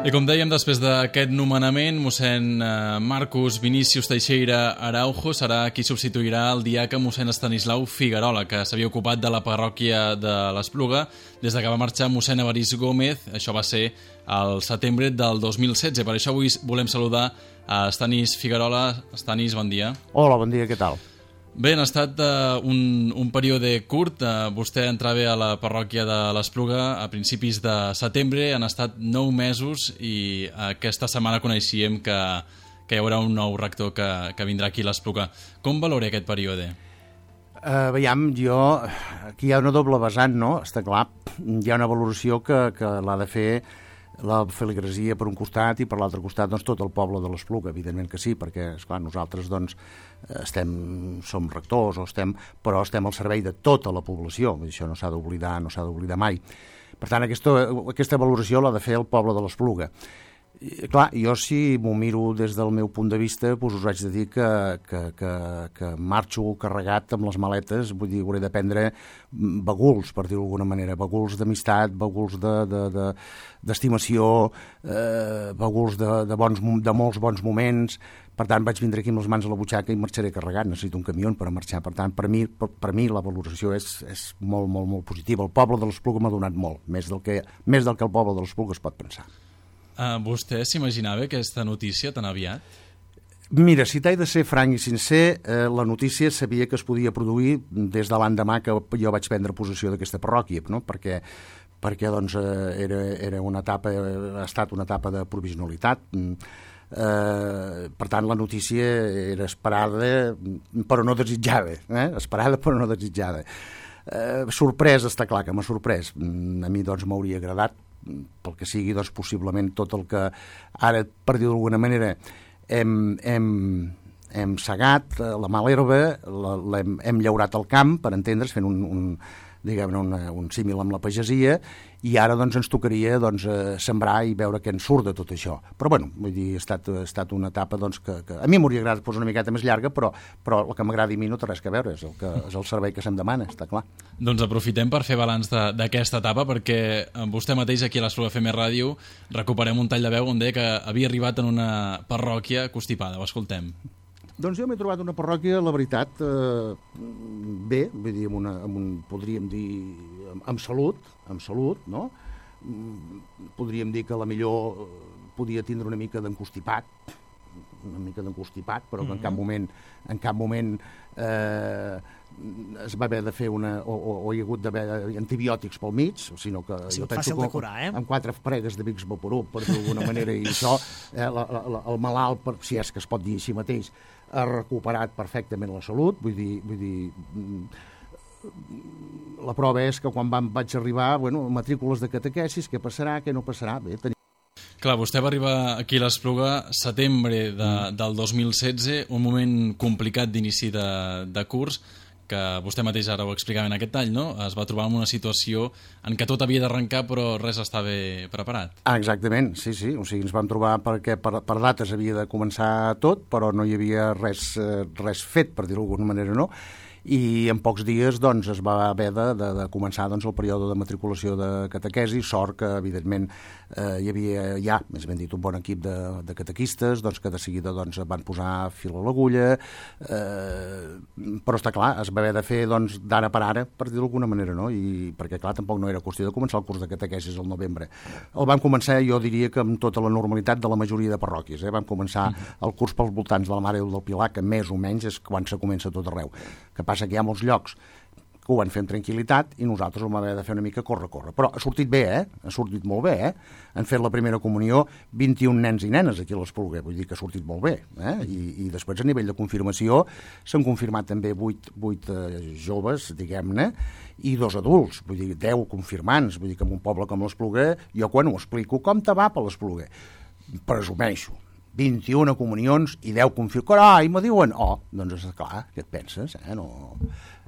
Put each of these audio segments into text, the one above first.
I com dèiem, després d'aquest nomenament, mossèn Marcus Vinícius Teixeira Araujo serà qui substituirà el diaca mossèn Estanislau Figuerola, que s'havia ocupat de la parròquia de l'Espluga des que va marxar mossèn Evarist Gómez. Això va ser al setembre del 2016. Per això avui volem saludar a Estanis Figuerola. Estanis, bon dia. Hola, bon dia, què tal? Bé, ha estat un període curt. Vostè entrava a la parròquia de l'Espluga a principis de setembre. Han estat 9 mesos i aquesta setmana coneixíem que hi haurà un nou rector que vindrà aquí a l'Espluga. Com valora aquest període? Veiem, aquí hi ha una doble vessant, no? Està clar, hi ha una valoració que l'ha de fer la feligresia per un costat i per l'altre costat doncs, tot el poble de l'Espluga, evidentment que sí, perquè esclar, nosaltres doncs, som rectors, però estem al servei de tota la població, això no s'ha d'oblidar mai. Per tant, aquesta valoració l'ha de fer el poble de l'Espluga. Clar, jo si m'ho miro des del meu punt de vista, doncs us haig de dir que marxo carregat amb les maletes, vull dir, hauré de prendre baguls, per dir-ho d'alguna manera, baguls d'amistat, baguls d'estimació, baguls de molts bons moments. Per tant, vaig vindre aquí amb les mans a la butxaca i marxaré carregat, necessito un camió per marxar. Per tant, per mi la valoració és molt, molt, molt positiva. El poble de l'Espluga m'ha donat molt, més del que el poble de l'Espluga es pot pensar. Vostè s'imaginava aquesta notícia tan aviat? Mira, si t'he de ser franc i sincer, la notícia sabia que es podia produir des de l'endemà que jo vaig prendre possessió d'aquesta parròquia, no? Perquè doncs, era una etapa, ha estat una etapa de provisionalitat. Per tant, la notícia era esperada però no desitjada, esperada però no desitjada. Sorprès, està clar que m'ha sorprès. A mi doncs m'hauria agradat, pel que sigui, doncs possiblement tot el que ara, per dir d'alguna manera, hem segat, la mala herba, hem llaurat el camp, per entendre's, fent un símil amb la pagesia, i ara doncs ens tocaria sembrar i veure què en surt de tot això. Però bueno, vull dir, ha estat una etapa doncs, que a mi m'hauria agradat una miqueta més llarga, però el que m'agradi a mi no té res a veure, és el servei que se'm demana, està clar. Doncs aprofitem per fer balanç d'aquesta etapa, perquè vostè mateix aquí a l'Espluga FM Ràdio recuperem un tall de veu on deia que havia arribat en una parròquia constipada. Ho escoltem. Doncs jo m'he trobat una parròquia, la veritat, bé, vull dir, podríem dir, amb salut, no? Podríem dir que a la millor podia tindre una mica d'encostipat, però que en cap moment es va haver de fer o hi ha hagut d'haver antibiòtics pel mig, sinó que jo penso fàcil de curar, amb 4 pregues de Vicks Vaporub, per d'alguna manera, i això, el malalt, si és que es pot dir així mateix, ha recuperat perfectament la salut, vull dir, la prova és que quan vaig arribar, matrícules de catequesis, què passarà, què no passarà, bé, Clar, vostè va arribar aquí a l'Espluga setembre del 2016, un moment complicat d'inici de curs, que vostè mateix ara ho explicava en aquest tall, no? Es va trobar en una situació en què tot havia d'arrencar però res estava preparat. Exactament, sí, o sigui, ens vam trobar perquè per dates havia de començar tot, però no hi havia res fet, per dir-ho d'alguna manera, no? I en pocs dies doncs, es va haver de començar doncs, el període de matriculació de catequesi, sort que evidentment hi havia ja, més ben dit, un bon equip de catequistes doncs, que de seguida doncs, van posar fil a l'agulla, però està clar, es va haver de fer doncs, d'ara per ara, per dir d'alguna manera, no? Perquè clar, tampoc no era qüestió de començar el curs de catequesis al novembre. El vam començar, jo diria que amb tota la normalitat de la majoria de parròquies. Vam començar el curs pels voltants de la Mare del Pilar, que més o menys és quan se comença tot arreu. Que passa que hi ha molts llocs que ho van fer amb tranquil·litat i nosaltres ho vam haver de fer una mica córrer. Però ha sortit bé, ha sortit molt bé, Han fet la primera comunió 21 nens i nenes aquí a l'Espluga, vull dir que ha sortit molt bé, I després a nivell de confirmació s'han confirmat també 8 joves, diguem-ne, i 2 adults, vull dir 10 confirmants, vull dir que en un poble com l'Espluga, jo quan ho explico, com te va per l'Espluga? Presumeixo. 21 comunions i 10 confirmacions. Carai, me diuen, doncs és clar, què et penses, no...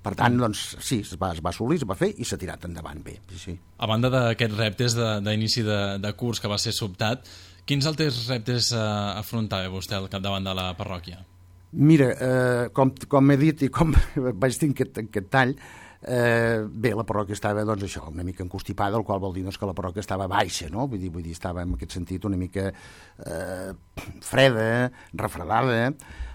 Per tant, doncs, sí, es va assolir, es va fer i s'ha tirat endavant bé. Sí. A banda d'aquests reptes d'inici de curs que va ser sobtat, quins altres reptes afrontava vostè al capdavant de la parròquia? Mira, com he dit i com vaig dir en aquest tall, Bé, la parròquia estava, doncs, això, una mica encostipada, el qual vol dir doncs, que la parròquia estava baixa, no? Vull dir, estava en aquest sentit una mica freda, refredada.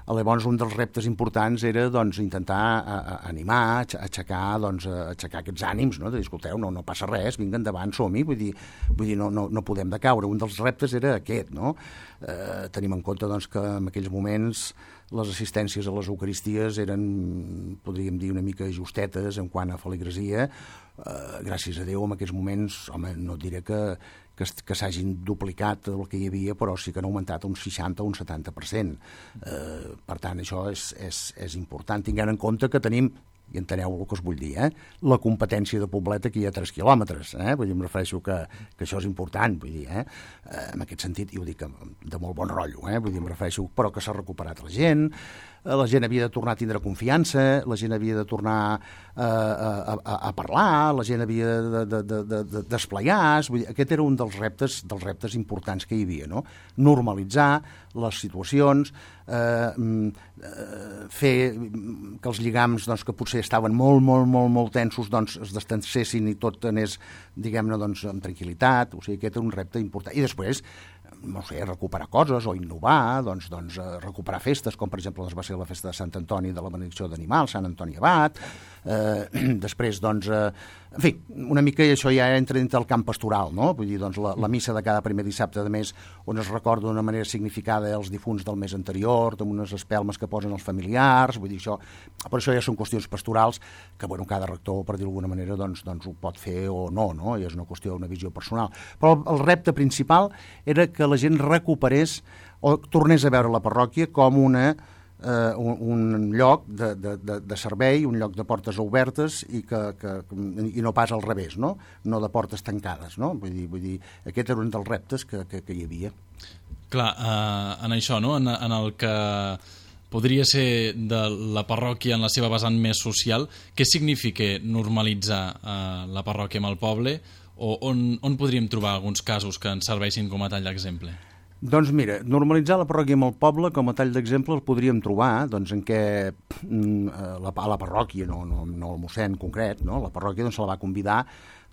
Llavors, un dels reptes importants era doncs, intentar animar, aixecar aquests ànims, no? De dir, escolteu, no passa res, vinga endavant, som-hi, vull dir no podem decaure. Un dels reptes era aquest, no? Tenim en compte doncs, que en aquells moments les assistències a les Eucaristies eren, podríem dir, una mica justetes en quant a feligresia. Gràcies a Déu, en aquests moments, home, no et diré que s'hagin duplicat el que hi havia, però sí que han augmentat un 60 o un 70%. Per tant, això és important, tinguent en compte que tenim, i enteneu el que us vull dir, la competència de Poblet aquí a 3 quilòmetres. Vull dir, em refereixo que això és important, vull dir, en aquest sentit, i ho dic de molt bon rotllo, vull dir, em refereixo, però que s'ha recuperat la gent havia de tornar a tindre confiança, la gent havia de tornar a parlar, la gent havia de desplegar-se. Aquest era un dels reptes importants que hi havia, no? Normalitzar les situacions, fer que els lligams doncs, que potser estaven molt tensos doncs, es destancessin i tot anés, diguem-ne, doncs, amb tranquil·litat. O sigui, aquest era un repte important. I després, no sé, recuperar coses o innovar, doncs recuperar festes, com per exemple va ser la festa de Sant Antoni de la benedicció d'animals, Sant Antoni Abat, després, doncs, en fi, una mica això ja entra dintre el camp pastoral, no? Vull dir, doncs, la missa de cada primer dissabte de mes, on es recorda d'una manera significada els difunts del mes anterior, amb unes espelmes que posen els familiars, vull dir, per això ja són qüestions pastorals que, bueno, cada rector, per dir d'alguna manera, doncs ho pot fer o no, i és una qüestió, una visió personal. Però el repte principal era que la gent recuperés o tornés a veure la parròquia com un lloc de servei, un lloc de portes obertes i no pas al revés, no de portes tancades, no? Vull dir, aquest era un dels reptes que hi havia. Clar, en això, no? En el que podria ser de la parròquia en la seva vessant més social, què significa normalitzar la parròquia amb el poble, o on podríem trobar alguns casos que ens serveixin com a tall d'exemple? Doncs mira, normalitzar la parròquia amb el poble com a tall d'exemple el podríem trobar doncs, en què a la parròquia, no el mossèn concret, no? La parròquia doncs, se la va convidar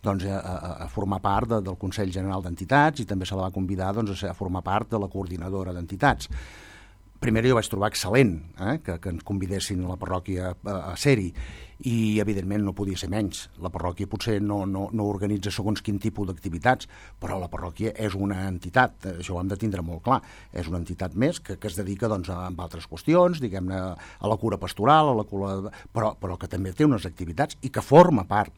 doncs, a formar part del Consell General d'Entitats i també se la va convidar doncs, a formar part de la coordinadora d'entitats. Primer jo vaig trobar excel·lent que ens convidessin a la parròquia a ser-hi i evidentment no podia ser menys. La parròquia potser no organitza segons quin tipus d'activitats, però la parròquia és una entitat, això ho hem de tindre molt clar, és una entitat més que es dedica doncs, a altres qüestions, diguem-ne, a la cura pastoral, però que també té unes activitats i que forma part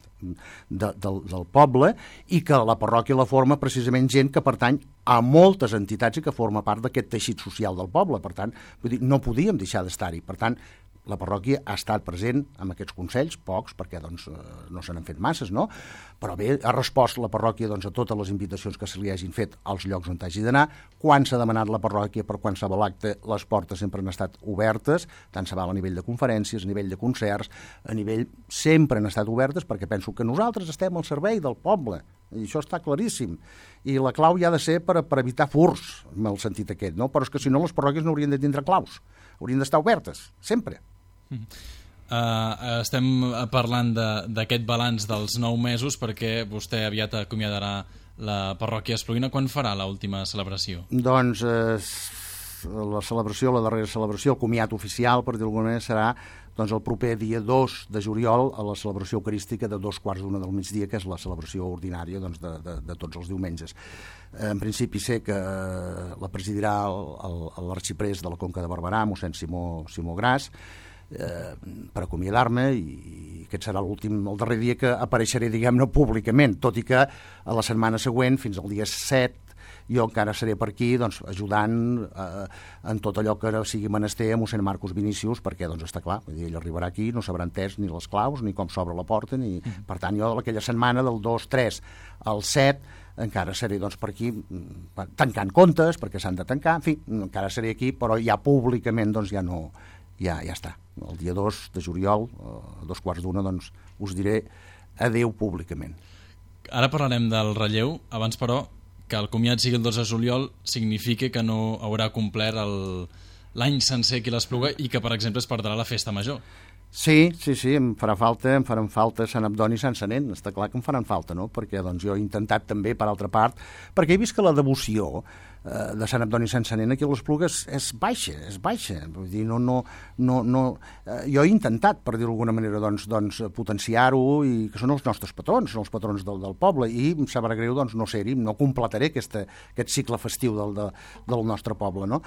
del poble i que la parròquia la forma precisament gent que pertany a moltes entitats i que forma part d'aquest teixit social del poble. Per tant, vull dir, no podíem deixar d'estar-hi. Per tant, la parròquia ha estat present en aquests consells, pocs, perquè doncs, no se n'han fet masses, no? Però bé, ha respost la parròquia doncs, a totes les invitacions que se li hagin fet als llocs on hagi d'anar. Quan s'ha demanat la parròquia per qualsevol acte, les portes sempre han estat obertes, tant se val a nivell de conferències, a nivell de concerts, a nivell... sempre han estat obertes, perquè penso que nosaltres estem al servei del poble, i això està claríssim. I la clau ja ha de ser per evitar furs, en el sentit aquest, no? Però és que si no les parròquies no haurien de tindre claus, haurien d'estar obertes, sempre. Estem parlant d'aquest balanç dels 9 mesos perquè vostè aviat acomiadarà la parròquia Espluguina. Quan farà l'última celebració? Doncs la celebració, la darrera celebració, el comiat oficial, per dir d'alguna manera, serà doncs, el proper dia 2 de juliol a la celebració eucarística de 2:15 del migdia, que és la celebració ordinària doncs, de tots els diumenges. En principi sé que la presidirà l'arxiprés de la Conca de Barberà, mossèn Simó Gras, per acomiadar-me, i aquest serà el darrer dia que apareixeré, diguem-ne, públicament, tot i que a la setmana següent, fins al dia 7, jo encara seré per aquí doncs, ajudant en tot allò que sigui menester a mossèn Marcos Vinícius, perquè doncs, està clar, ell arribarà aquí, no sabrà entès ni les claus, ni com s'obre la porta, per tant jo aquella setmana del 2, 3 al 7 encara seré doncs, per aquí tancant comptes, perquè s'han de tancar, en fi, encara seré aquí, però ja públicament doncs, ja està. El dia 2 de juliol, a 2:15, doncs, us diré adeu públicament. Ara parlarem del relleu. Abans, però, que el comiat sigui el 2 de juliol significa que no haurà complert l'any sencer aquí a l'Espluga i que, per exemple, es perdrà la festa major. Sí, em faran falta Sant Abdoni i Sant Senent, està clar que em faran falta, no? Perquè doncs, jo he intentat també, per altra part, perquè he vist que la devoció de Sant Abdoni i Sant Senent aquí a l'Esplugues és baixa. Vull dir, jo he intentat, per dir-ho d'alguna manera, doncs, potenciar-ho, i que són els nostres patrons, són els patrons del poble, i em sabrà greu no ser-hi, no completaré aquest cicle festiu del nostre poble, no?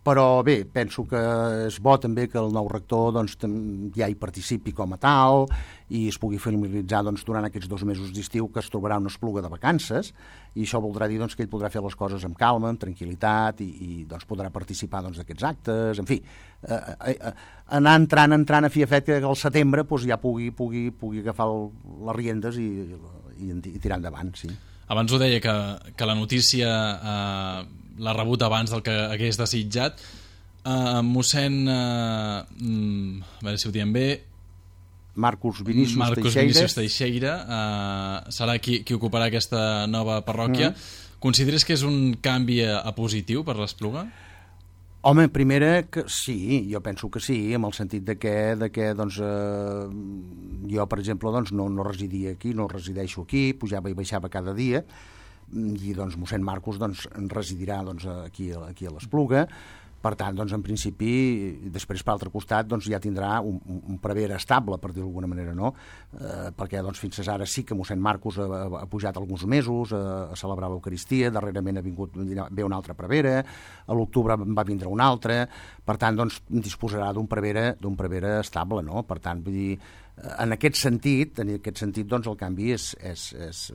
Però bé, penso que és bo també que el nou rector doncs, ja hi participi com a tal i es pugui familiaritzar durant aquests 2 mesos d'estiu, que es trobarà una Espluga de vacances, i això voldrà dir que ell podrà fer les coses amb calma, amb tranquil·litat, i podrà participar d'aquests actes, en fi, anar entrant a fi a fet que al setembre ja pugui agafar les riendes i tirar endavant, sí. Abans ho deia, que la notícia l'ha rebut abans del que hagués desitjat. Mossèn, a veure si ho diem bé, Marcus Vinícius Teixeira serà qui ocuparà aquesta nova parròquia. Consideres que és un canvi a positiu per l'Espluga? Home, primera, que sí, jo penso que sí, en el sentit de que doncs, jo, per exemple, doncs, no residia aquí, no resideixo aquí, pujava i baixava cada dia, i doncs, mossèn Marcus residirà aquí a l'Espluga. Per tant, doncs, en principi, després, per l'altre costat, doncs, ja tindrà un prevere estable, per dir-ho d'alguna manera, no? Perquè doncs, fins ara sí que mossèn Marcus ha pujat alguns mesos a celebrar l'Eucaristia, darrerament ve un altre prevere, a l'octubre va vindre un altre, per tant, doncs, disposarà d'un prevere estable, no? Per tant, vull dir, en aquest sentit, doncs, el canvi és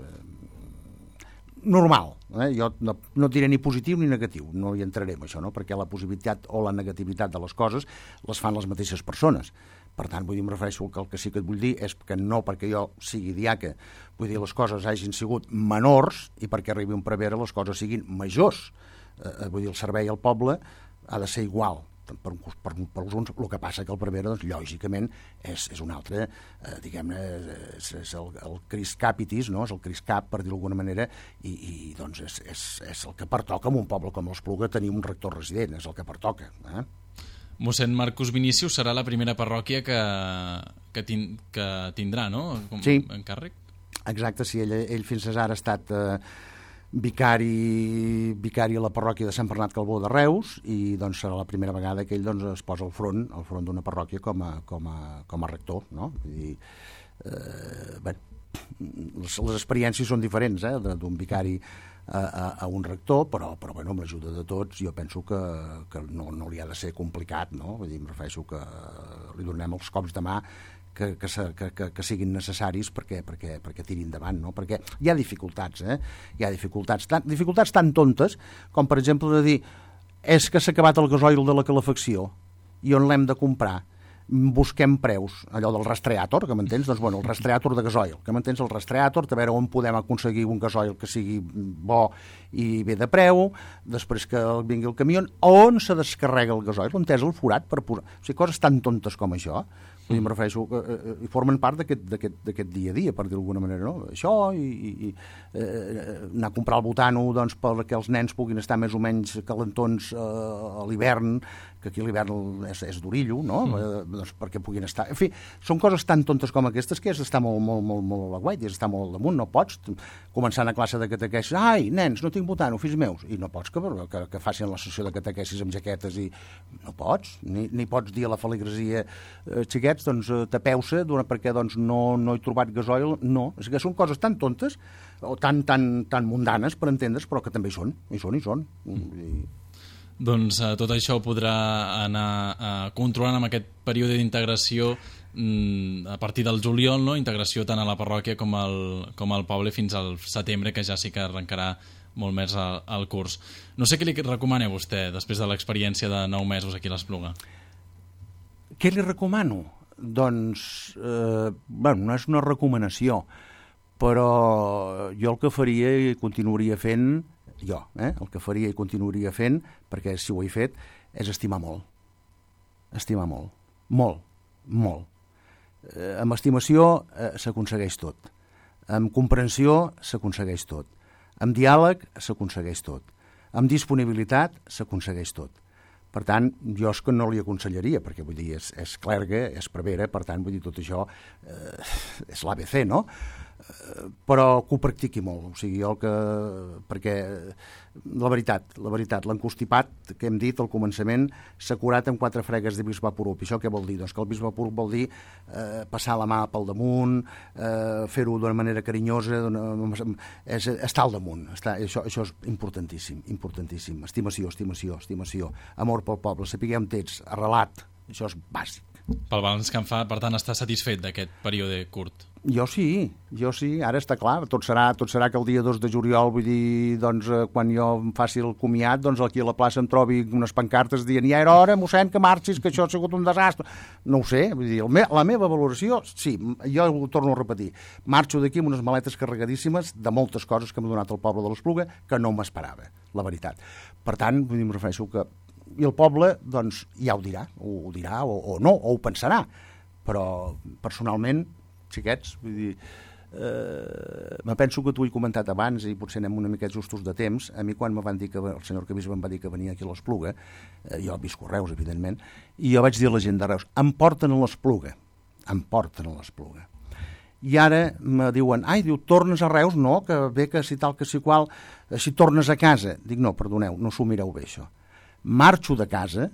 normal, jo no diré ni positiu ni negatiu, no hi entraré en això, no? Perquè la positivitat o la negativitat de les coses les fan les mateixes persones. Per tant, vull dir, em refereixo que el que sí que et vull dir és que no perquè jo sigui diaca, vull dir, les coses hagin sigut menors i perquè arribi un prevere les coses siguin majors. Vull dir, el servei al poble ha de ser igual per uns, el que passa que el prevere, doncs, lògicament, és un altre, diguem-ne, és el Crist Capitis, no? És el Crist Cap, per dir-ho d'alguna manera, i doncs és el que pertoca en un poble com l'Espluga tenir un rector resident, és el que pertoca. Mossèn Marcus Vinícius serà la primera parròquia que tindrà, no? Sí. Encàrrec? Exacte, sí, ell fins ara ha estat vicari a la parròquia de Sant Bernat Calbó de Reus, i doncs serà la primera vegada que ell doncs, es posa al front d'una parròquia com a rector, no? Vull dir, les experiències són diferents, d'un vicari a un rector, però bueno, amb l'ajuda de tots jo penso que no li ha de ser complicat, no? Vull dir, em refereixo que li donem els cops de mà que siguin necessaris perquè tiri endavant, no? Perquè hi ha dificultats, hi ha dificultats tan tontes com, per exemple, de dir és que s'ha acabat el gasoil de la calefacció i on l'hem de comprar? Busquem preus, allò del rastreator, que m'entens? Doncs, bueno, el rastreator de gasoil, que m'entens? El rastreator, a veure on podem aconseguir un gasoil que sigui bo i bé de preu, després que vingui el camió, on se descarrega el gasoil, on és el forat per posar... O sigui, coses tan tontes com això, em refereixo que formen part d'aquest dia a dia, per dir-ho d'alguna manera, no? Això i anar a comprar el butano, doncs, perquè els nens puguin estar més o menys calentons a l'hivern, que aquí l'hivern és d'orillo, no? Doncs perquè puguin estar... En fi, són coses tan tontes com aquestes que has d'estar molt a la guaita, has d'estar molt damunt, no pots començar a classe de catequesis, ai, nens, no tinc butano, fills meus, i no pots que facin la sessió de catequesis amb jaquetes, i no pots, ni pots dir a la feligresia, xiquets, doncs tapeu-se perquè doncs, no he trobat gasoil, no, és que són coses tan tontes o tan mundanes, per entendre's, però que també hi són. Doncs tot això ho podrà anar controlant amb aquest període d'integració a partir del juliol, no? Integració tant a la parròquia com al poble fins al setembre, que ja sí que arrencarà molt més el curs. No sé què li recomana a vostè després de l'experiència de 9 mesos aquí a l'Espluga. Què li recomano? Doncs, no és una recomanació, però jo el que faria i continuaria fent, perquè si ho he fet, és estimar molt. Estimar molt. Molt. Amb estimació s'aconsegueix tot. Amb comprensió s'aconsegueix tot. Amb diàleg s'aconsegueix tot. Amb disponibilitat s'aconsegueix tot. Per tant, jo és que no li aconsellaria, perquè vull dir, és clergue, és prevere, per tant, vull dir, tot això és l'ABC, no? Però que ho practiqui molt, o sigui, perquè la veritat, l'encostipat que hem dit al començament s'ha curat amb 4 fregues de Vix Vaporub. I això què vol dir? Doncs que el Vix Vaporub vol dir passar la mà pel damunt, fer-ho d'una manera carinyosa, estar al damunt. Això és importantíssim, importantíssim. Estimació, amor pel poble, sapiguem ets, arrelat, això és bàsic. Pel balanç que en fa, per tant, està satisfet d'aquest període curt? Jo sí, ara està clar, tot serà que el dia 2 de juliol, vull dir, doncs, quan jo em faci el comiat, doncs aquí a la plaça em trobi unes pancartes dient ja era hora, mossèn, que marxis, que això ha sigut un desastre. No ho sé, vull dir, la meva valoració, sí, jo ho torno a repetir, marxo d'aquí amb unes maletes carregadíssimes de moltes coses que m'ha donat el poble de l'Espluga que no m'esperava, la veritat. Per tant, vull dir, em refereixo que i el poble, doncs, ja ho dirà o no, o ho pensarà, però personalment, xiquets, vull dir, me penso que t'ho he comentat abans i potser anem una miqueta justos de temps. A mi quan me van dir que el senyor Arquebisbe em va dir que venia aquí a l'Espluga, jo he vist Reus, evidentment, i jo vaig dir a la gent de Reus, em porten a l'Espluga. I ara me diuen, tornes a Reus? No, que bé que si tal que si qual, si tornes a casa. Dic, no, perdoneu, no s'ho mireu bé això. Marxo de casa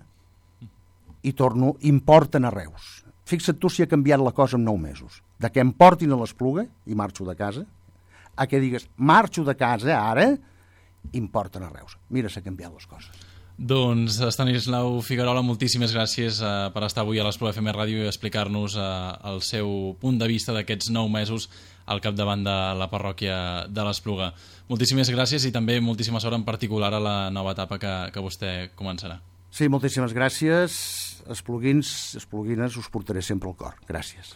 i torno, em porten a Reus. Fixa't tu si ha canviat la cosa en 9 mesos. De que em portin a l'Espluga i marxo de casa, a que digues, marxo de casa ara i em porten a Reus. Mira, s'ha canviat les coses. Doncs, Estanislau Figuerola, moltíssimes gràcies per estar avui a l'Espluga FM Ràdio i explicar-nos el seu punt de vista d'aquests 9 mesos al capdavant de la parròquia de l'Espluga. Moltíssimes gràcies i també moltíssima sort en particular a la nova etapa que vostè començarà. Sí, moltíssimes gràcies. Espluguins, espluguines, us portaré sempre al cor. Gràcies.